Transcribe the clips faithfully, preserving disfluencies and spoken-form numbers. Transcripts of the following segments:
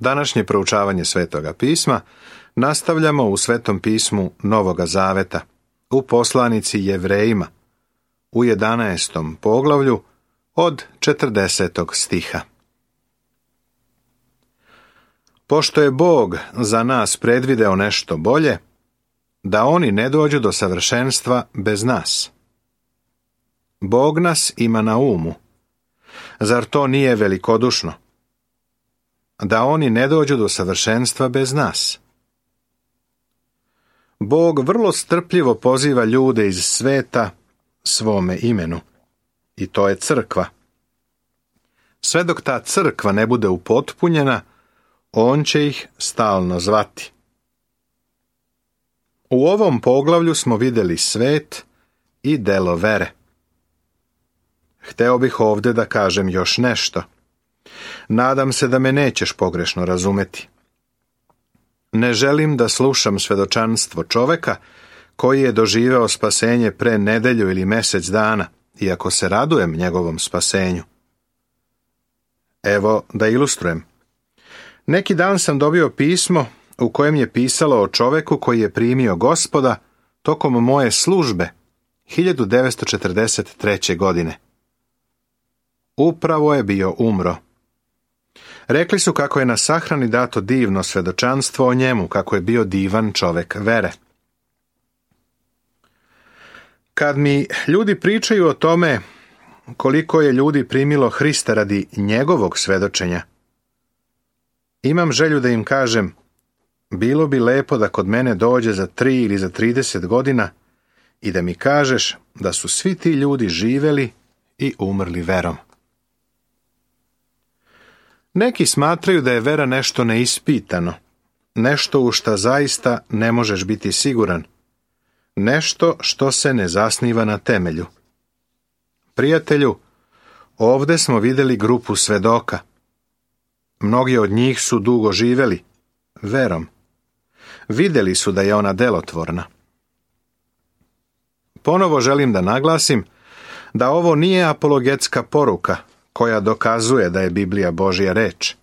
Današnje proučavanje Svetoga pisma nastavljamo u Svetom pismu Novoga Zaveta, u poslanici Jevrejima, u jedanaestom poglavlju od četrdesetog stiha. Pošto je Bog za nas predvideo nešto bolje, da oni ne dođu do savršenstva bez nas. Bog nas ima na umu. Zar to nije velikodušno? Da oni ne dođu do savršenstva bez nas. Bog vrlo strpljivo poziva ljude iz sveta svome imenu. I to je crkva. Sve dok ta crkva ne bude upotpunjena, on će ih stalno zvati. U ovom poglavlju smo vidjeli svet i delo vere. Hteo bih ovdje da kažem još nešto. Nadam se da me nećeš pogrešno razumeti. Ne želim da slušam svedočanstvo čoveka koji je doživeo spasenje pre nedelju ili mjesec dana, iako se radujem njegovom spasenju. Evo da ilustrujem. Neki dan sam dobio pismo u kojem je pisalo o čoveku koji je primio Gospoda tokom moje službe hiljadu devetsto četrdeset treće. godine. Upravo je bio umro. Rekli su kako je na sahrani dato divno svedočanstvo o njemu, kako je bio divan čovek vere. Kad mi ljudi pričaju o tome koliko je ljudi primilo Hrista radi njegovog svedočenja, imam želju da im kažem, bilo bi lepo da kod mene dođe za tri ili za trideset godina i da mi kažeš da su svi ti ljudi živeli i umrli verom. Neki smatraju da je vera nešto neispitano, nešto u šta zaista ne možeš biti siguran, nešto što se ne zasniva na temelju. Prijatelju, ovdje smo vidjeli grupu svedoka. Mnogi od njih su dugo živjeli, verom. Vidjeli su da je ona delotvorna. Ponovo želim da naglasim da ovo nije apologetska poruka koja dokazuje da je Biblija Božja reč.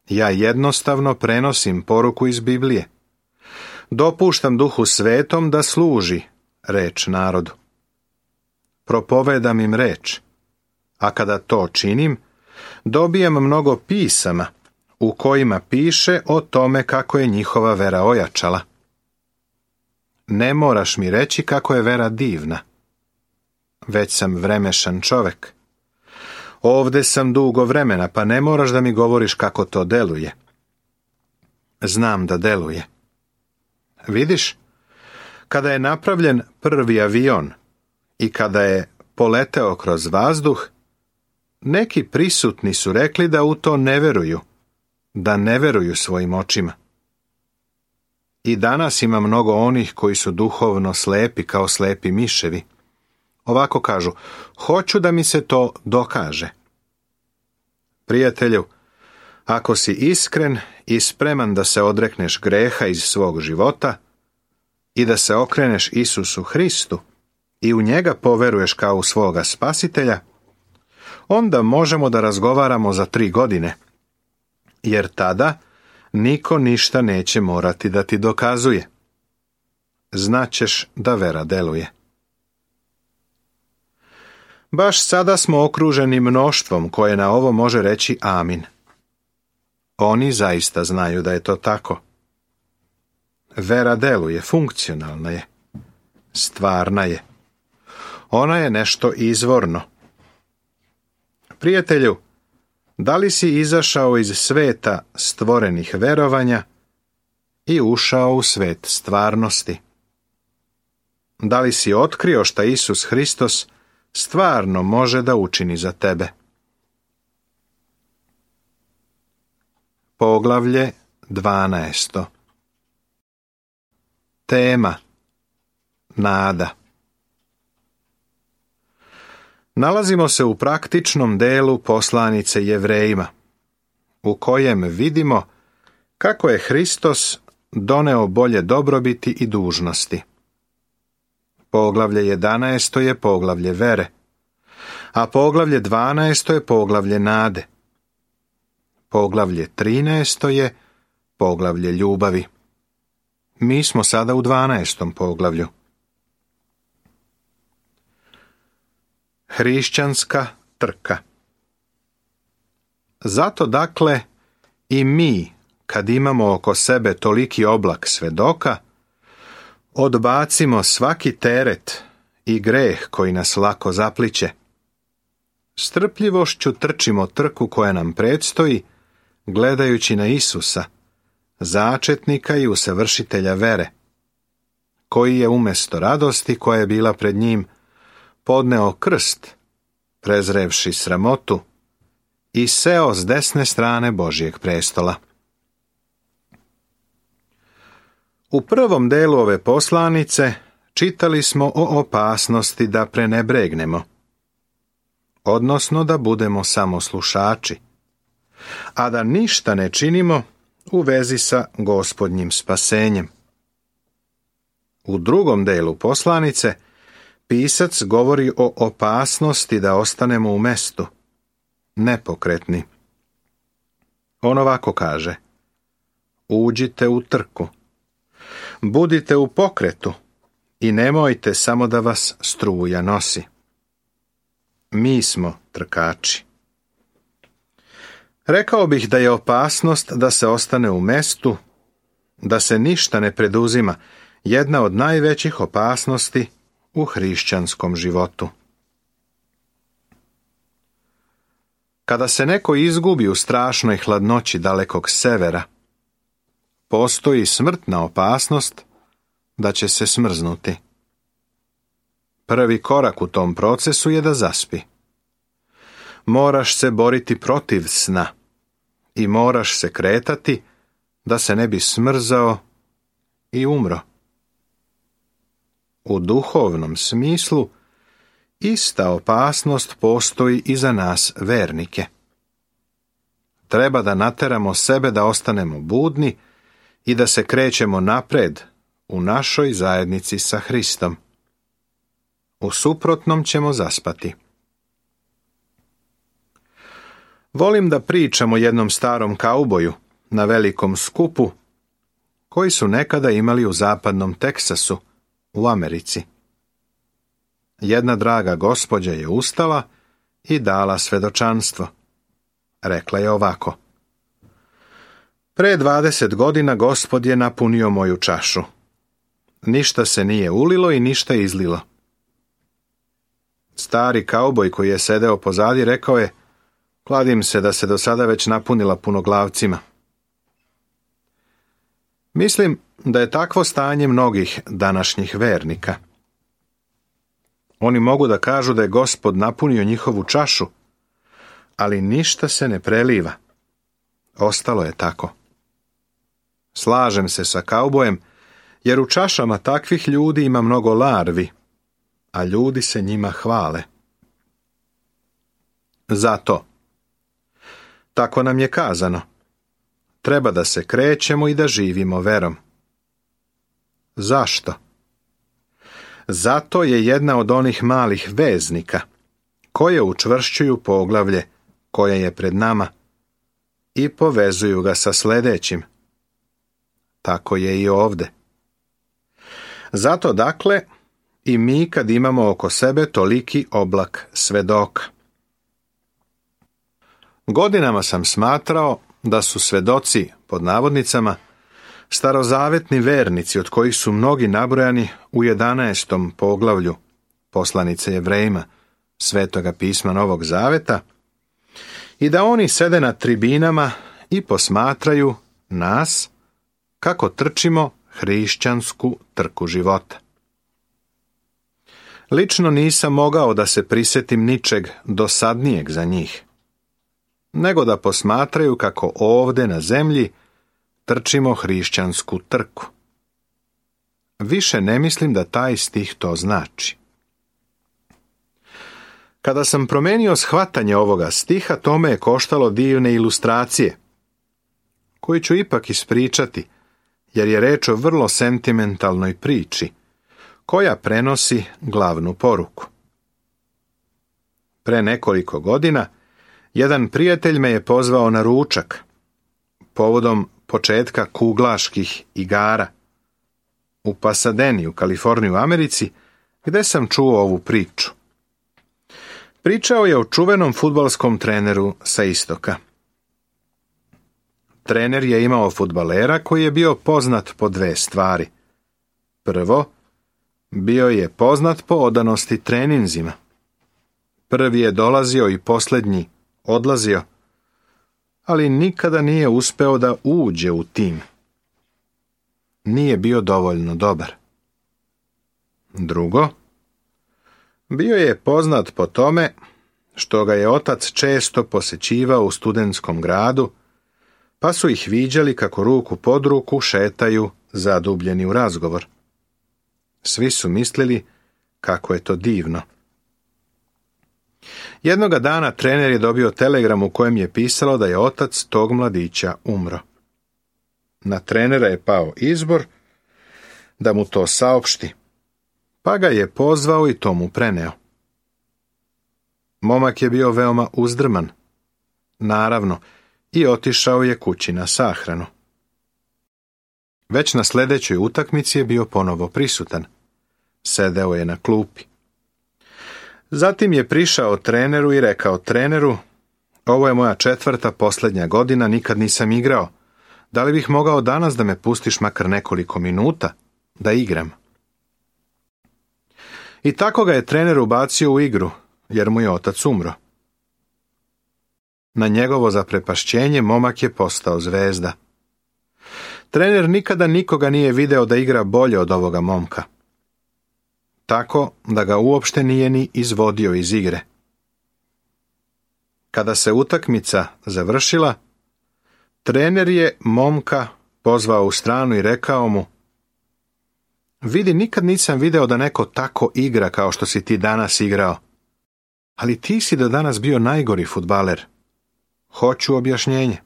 Ja jednostavno prenosim poruku iz Biblije. Dopuštam Duhu Svetom da služi reč narodu. Propovedam im reč, a kada to činim, dobijam mnogo pisama u kojima piše o tome kako je njihova vera ojačala. Ne moraš mi reći kako je vera divna. Već sam vremešan čovek. Ovdje sam dugo vremena, pa ne moraš da mi govoriš kako to deluje. Znam da deluje. Vidiš, kada je napravljen prvi avion i kada je poleteo kroz vazduh, neki prisutni su rekli da u to ne veruju, da ne veruju svojim očima. I danas ima mnogo onih koji su duhovno slepi kao slepi miševi. Ovako kažu, hoću da mi se to dokaže. Prijatelju, ako si iskren i spreman da se odrekneš greha iz svog života i da se okreneš Isusu Hristu i u njega poveruješ kao u svoga spasitelja, onda možemo da razgovaramo za tri godine, jer tada niko ništa neće morati da ti dokazuje. Znaćeš da vera deluje. Baš sada smo okruženi mnoštvom koje na ovo može reći amin. Oni zaista znaju da je to tako. Vera deluje, funkcionalna je, stvarna je. Ona je nešto izvorno. Prijatelju, da li si izašao iz sveta stvorenih verovanja i ušao u svet stvarnosti? Da li si otkrio šta Isus Hristos stvarno može da učini za tebe? Poglavlje dvanaesto. Tema: nada. Nalazimo se u praktičnom delu poslanice Jevrejima, u kojem vidimo kako je Hristos doneo bolje dobrobiti i dužnosti. Poglavlje jedanaesto je poglavlje vere, a poglavlje dvanaesto je poglavlje nade. Poglavlje trinaesto je poglavlje ljubavi. Mi smo sada u dvanaestom poglavlju. Hrišćanska trka. Zato dakle i mi, kad imamo oko sebe toliki oblak svedoka, odbacimo svaki teret i greh koji nas lako zapliće. Strpljivošću trčimo trku koja nam predstoji, gledajući na Isusa, začetnika i usavršitelja vere, koji je umjesto radosti koja je bila pred njim podneo krst, prezrevši sramotu, i seo s desne strane Božjeg prestola. U prvom delu ove poslanice čitali smo o opasnosti da prenebregnemo, odnosno da budemo samo slušači, a da ništa ne činimo u vezi sa Gospodnjim spasenjem. U drugom delu poslanice pisac govori o opasnosti da ostanemo u mestu, nepokretni. On ovako kaže: uđite u trku, budite u pokretu i nemojte samo da vas struja nosi. Mi smo trkači. Rekao bih da je opasnost da se ostane u mestu, da se ništa ne preduzima, jedna od najvećih opasnosti u hrišćanskom životu. Kada se neko izgubi u strašnoj hladnoći dalekog severa, postoji smrtna opasnost da će se smrznuti. Prvi korak u tom procesu je da zaspi. Moraš se boriti protiv sna i moraš se kretati da se ne bi smrzao i umro. U duhovnom smislu ista opasnost postoji i za nas vernike. Treba da nateramo sebe da ostanemo budni i da se krećemo napred u našoj zajednici sa Hristom. U suprotnom ćemo zaspati. Volim da pričam o jednom starom kauboju na velikom skupu koji su nekada imali u zapadnom Teksasu, u Americi. Jedna draga gospođa je ustala i dala svedočanstvo. Rekla je ovako: pre dvadeset godina Gospod je napunio moju čašu. Ništa se nije ulilo i ništa izlilo. Stari kauboj koji je sedeo pozadi rekao je: kladim se da se do sada već napunila punoglavcima. Mislim da je takvo stanje mnogih današnjih vernika. Oni mogu da kažu da je Gospod napunio njihovu čašu, ali ništa se ne preliva. Ostalo je tako. Slažem se sa kaubojem, jer u čašama takvih ljudi ima mnogo larvi, a ljudi se njima hvale. Zato, tako nam je kazano, treba da se krećemo i da živimo verom. Zašto? Zato je jedna od onih malih veznika koje učvršćuju poglavlje koje je pred nama i povezuju ga sa sljedećim. Tako je i ovde. Zato dakle i mi kad imamo oko sebe toliki oblak svedoka. Godinama sam smatrao da su svedoci, pod navodnicama, starozavetni vernici od kojih su mnogi nabrojani u jedanaestom poglavlju poslanice Jevrejima, Svetoga pisma Novog Zaveta, i da oni sede na tribinama i posmatraju nas kako trčimo hrišćansku trku života. Lično nisam mogao da se prisjetim ničeg dosadnijeg za njih, nego da posmatraju kako ovde na zemlji trčimo hrišćansku trku. Više ne mislim da taj stih to znači. Kada sam promenio shvatanje ovoga stiha, to me je koštalo divne ilustracije, koju ću ipak ispričati, jer je reč o vrlo sentimentalnoj priči, koja prenosi glavnu poruku. Pre nekoliko godina Jedan prijatelj me je pozvao na ručak, povodom početka kuglaških igara u Pasadeni, u Kaliforniji, u Americi, gde sam čuo ovu priču. Pričao je o čuvenom fudbalskom treneru sa istoka. Trener je imao fudbalera koji je bio poznat po dve stvari. Prvo, bio je poznat po odanosti treninzima. Prvi je dolazio i posljednji odlazio, ali nikada nije uspeo da uđe u tim. Nije bio dovoljno dobar. Drugo, bio je poznat po tome što ga je otac često posećivao u studentskom gradu, pa su ih viđali kako ruku pod ruku šetaju zadubljeni u razgovor. Svi su mislili kako je to divno. Jednoga dana trener je dobio telegram u kojem je pisalo da je otac tog mladića umro. Na trenera je pao izbor da mu to saopšti, pa ga je pozvao i to mu preneo. Momak je bio veoma uzdrman, naravno, i otišao je kući na sahranu. Već na sljedećoj utakmici je bio ponovo prisutan. Sedeo je na klupi. Zatim je prišao treneru i rekao treneru: ovo je moja četvrta posljednja godina, nikad nisam igrao. Da li bih mogao danas da me pustiš makar nekoliko minuta da igram? I tako ga je trener ubacio u igru, jer mu je otac umro. Na njegovo zaprepašćenje momak je postao zvezda. Trener nikada nikoga nije video da igra bolje od ovoga momka, tako da ga uopšte nije ni izvodio iz igre. Kada se utakmica završila, trener je momka pozvao u stranu i rekao mu: vidi, nikad nisam video da neko tako igra kao što si ti danas igrao, ali ti si do danas bio najgori fudbaler. Hoću objašnjenje.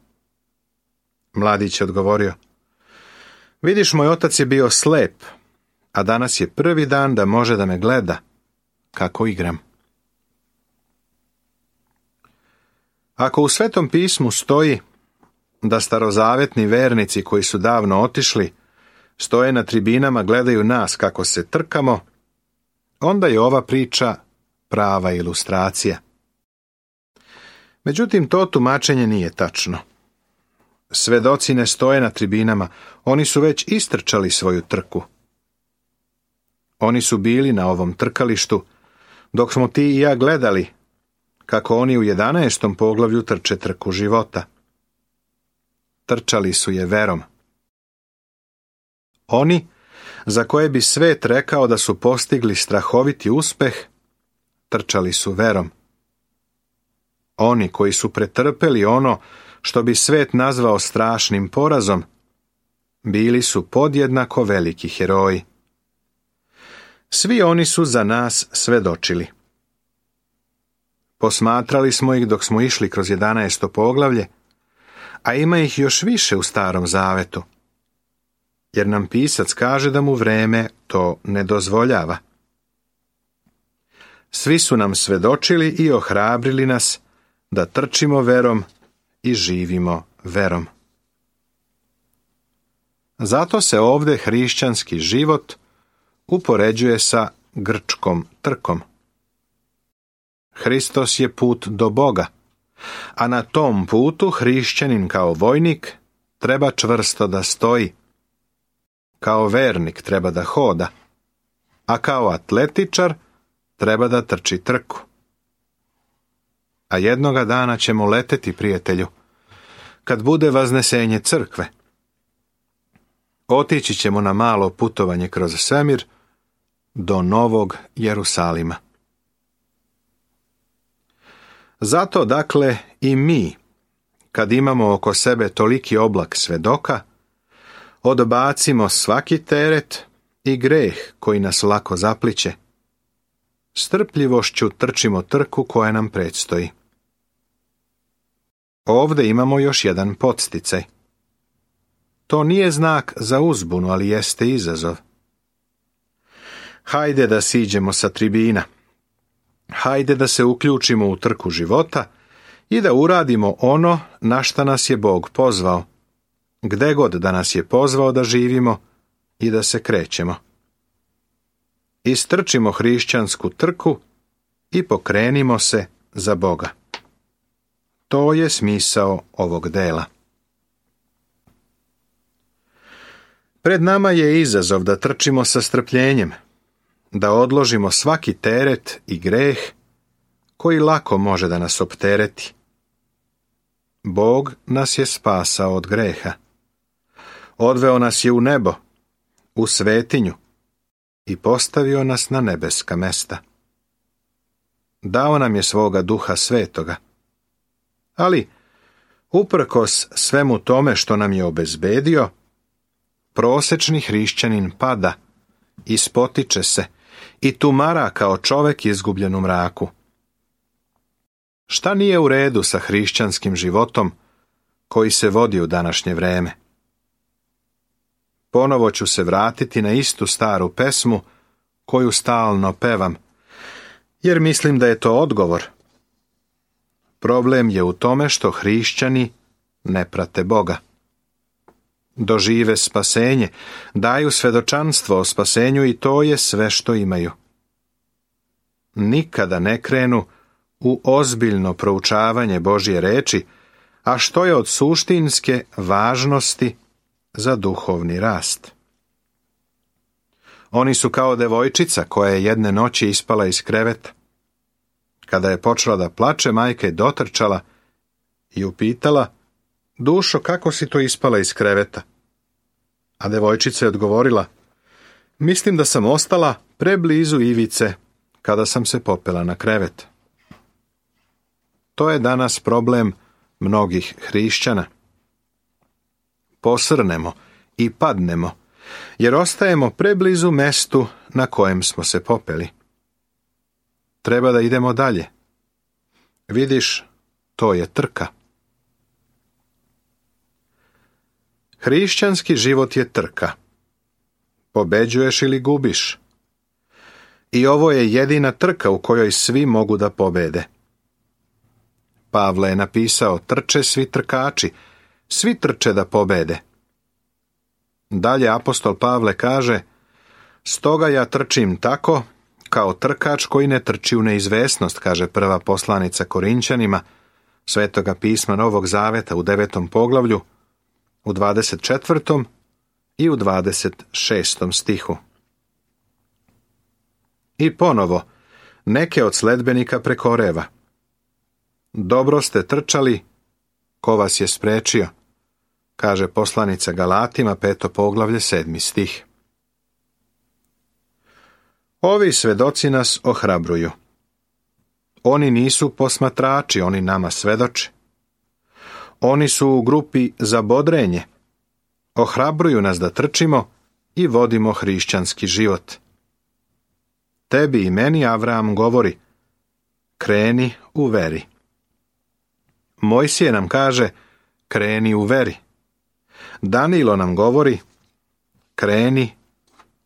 Mladić je odgovorio: vidiš, moj otac je bio slep, a danas je prvi dan da može da me gleda kako igram. Ako u Svetom pismu stoji da starozavetni vernici koji su davno otišli stoje na tribinama, gledaju nas kako se trkamo, onda je ova priča prava ilustracija. Međutim, to tumačenje nije tačno. Svedoci ne stoje na tribinama, oni su već istrčali svoju trku. Oni su bili na ovom trkalištu, dok smo ti i ja gledali kako oni u jedanaestom poglavlju trče trku života. Trčali su je verom. Oni, za koje bi svet rekao da su postigli strahoviti uspeh, trčali su verom. Oni koji su pretrpeli ono što bi svet nazvao strašnim porazom, bili su podjednako veliki heroji. Svi oni su za nas svedočili. Posmatrali smo ih dok smo išli kroz jedanaesto poglavlje, a ima ih još više u Starom Zavetu, jer nam pisac kaže da mu vreme to ne dozvoljava. Svi su nam svedočili i ohrabrili nas da trčimo verom i živimo verom. Zato se ovdje hrišćanski život upoređuje sa grčkom trkom. Hristos je put do Boga, a na tom putu hrišćanin kao vojnik treba čvrsto da stoji. Kao vernik treba da hoda, a kao atletičar treba da trči trku. A jednoga dana ćemo leteti, prijatelju, kad bude vaznesenje crkve. Otići ćemo na malo putovanje kroz svemir do Novog Jerusalima. Zato, dakle, i mi, kad imamo oko sebe toliki oblak svedoka, odbacimo svaki teret i greh koji nas lako zapliće. Strpljivošću trčimo trku koja nam predstoji. Ovdje imamo još jedan podsticaj. To nije znak za uzbunu, ali jeste izazov. Hajde da siđemo sa tribina. Hajde da se uključimo u trku života i da uradimo ono na šta nas je Bog pozvao, gde god da nas je pozvao da živimo i da se krećemo. Istrčimo hrišćansku trku i pokrenimo se za Boga. To je smisao ovog dela. Pred nama je izazov da trčimo sa strpljenjem, da odložimo svaki teret i greh koji lako može da nas optereti. Bog nas je spasao od greha. Odveo nas je u nebo, u svetinju i postavio nas na nebeska mesta. Dao nam je svoga Duha Svetoga. Ali, uprkos svemu tome što nam je obezbedio, prosečni hrišćanin pada, ispotiče se i tumara kao čovek izgubljen u mraku. Šta nije u redu sa hrišćanskim životom koji se vodi u današnje vreme? Ponovo ću se vratiti na istu staru pesmu koju stalno pevam, jer mislim da je to odgovor. Problem je u tome što hrišćani ne prate Boga. Dožive spasenje, daju svedočanstvo o spasenju i to je sve što imaju. Nikada ne krenu u ozbiljno proučavanje Božje reči, a što je od suštinske važnosti za duhovni rast. Oni su kao devojčica koja je jedne noći ispala iz kreveta. Kada je počela da plače, majka je dotrčala i upitala: "Dušo, kako si to ispala iz kreveta?" A devojčica je odgovorila: "Mislim da sam ostala preblizu ivice kada sam se popela na krevet." To je danas problem mnogih hrišćana. Posrnemo i padnemo, jer ostajemo preblizu mestu na kojem smo se popeli. Treba da idemo dalje. Vidiš, to je trka. Hrišćanski život je trka. Pobeđuješ ili gubiš. I ovo je jedina trka u kojoj svi mogu da pobede. Pavle je napisao: "Trče svi trkači, svi trče da pobede." Dalje apostol Pavle kaže: "Stoga ja trčim tako, kao trkač koji ne trči u neizvesnost", kaže prva poslanica Korinćanima, Svetoga pisma Novog Zaveta u devetom poglavlju, u dvadeset četvrtom i u dvadeset šestom stihu. I ponovo, neke od sledbenika prekoreva. "Dobro ste trčali, ko vas je sprečio", kaže poslanica Galatima, peto poglavlje, sedmi stih. Ovi svedoci nas ohrabruju. Oni nisu posmatrači, oni nama svedoče. Oni su u grupi za bodrenje. Ohrabruju nas da trčimo i vodimo hrišćanski život. Tebi i meni Avram govori: "Kreni u veri." Mojsije nam kaže: "Kreni u veri." Danilo nam govori: "Kreni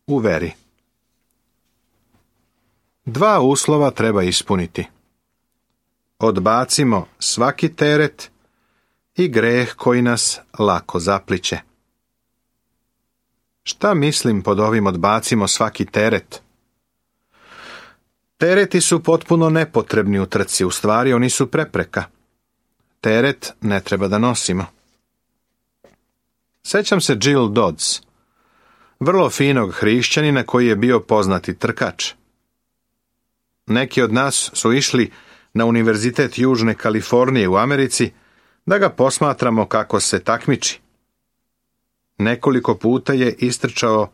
u veri." Dva uslova treba ispuniti. Odbacimo svaki teret i greh koji nas lako zapliće. Šta mislim pod ovim odbacimo svaki teret? Tereti su potpuno nepotrebni u trci, u stvari oni su prepreka. Teret ne treba da nosimo. Sećam se Jill Dodds, vrlo finog hrišćanina koji je bio poznati trkač. Neki od nas su išli na Univerzitet Južne Kalifornije u Americi da ga posmatramo kako se takmiči. Nekoliko puta je istrčao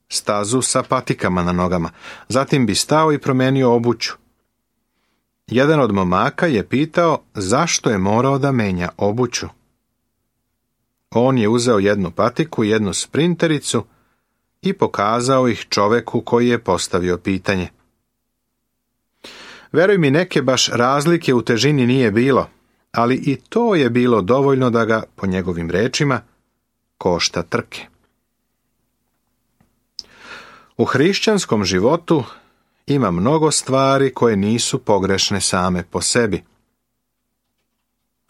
stazu sa patikama na nogama, zatim bi stao i promenio obuću. Jedan od momaka je pitao zašto je morao da menja obuću. On je uzeo jednu patiku i jednu sprintericu i pokazao ih čoveku koji je postavio pitanje. Veruj mi, neke baš razlike u težini nije bilo, ali i to je bilo dovoljno da ga, po njegovim rečima, košta trke. U hrišćanskom životu ima mnogo stvari koje nisu pogrešne same po sebi.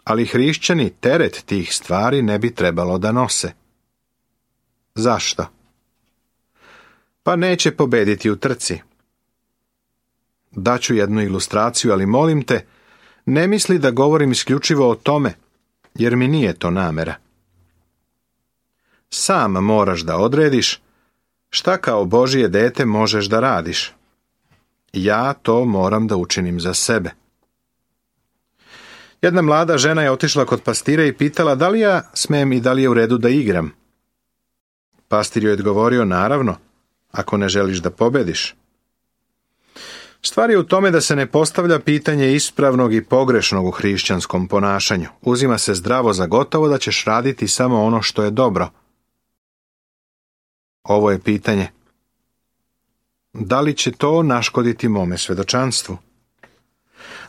ali hrišćani teret tih stvari ne bi trebalo da nose. Zašto? Pa neće pobediti u trci. Daću jednu ilustraciju, ali molim te, ne misli da govorim isključivo o tome, jer mi nije to namera. Sam moraš da odrediš šta kao Božje dete možeš da radiš. Ja to moram da učinim za sebe. Jedna mlada žena je otišla kod pastira i pitala da li ja smem i da li je u redu da igram. Pastir joj je odgovorio, naravno, ako ne želiš da pobediš. Stvar je u tome da se ne postavlja pitanje ispravnog i pogrešnog u hrišćanskom ponašanju. Uzima se zdravo za gotovo da ćeš raditi samo ono što je dobro. Ovo je pitanje. Da li će to naškoditi mome svedočanstvu?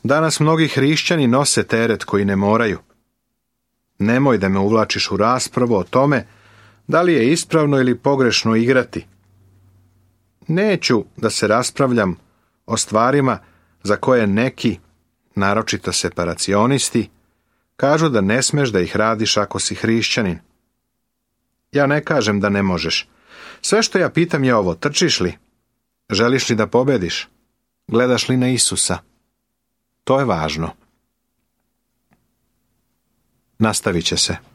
Danas mnogi hrišćani nose teret koji ne moraju. Nemoj da me uvlačiš u raspravu o tome da li je ispravno ili pogrešno igrati. Neću da se raspravljam o stvarima za koje neki, naročito separacionisti, kažu da ne smeš da ih radiš ako si hrišćanin. Ja ne kažem da ne možeš. Sve što ja pitam je ovo, trčiš li? Želiš li da pobediš? Gledaš li na Isusa? To je važno. Nastavit će se.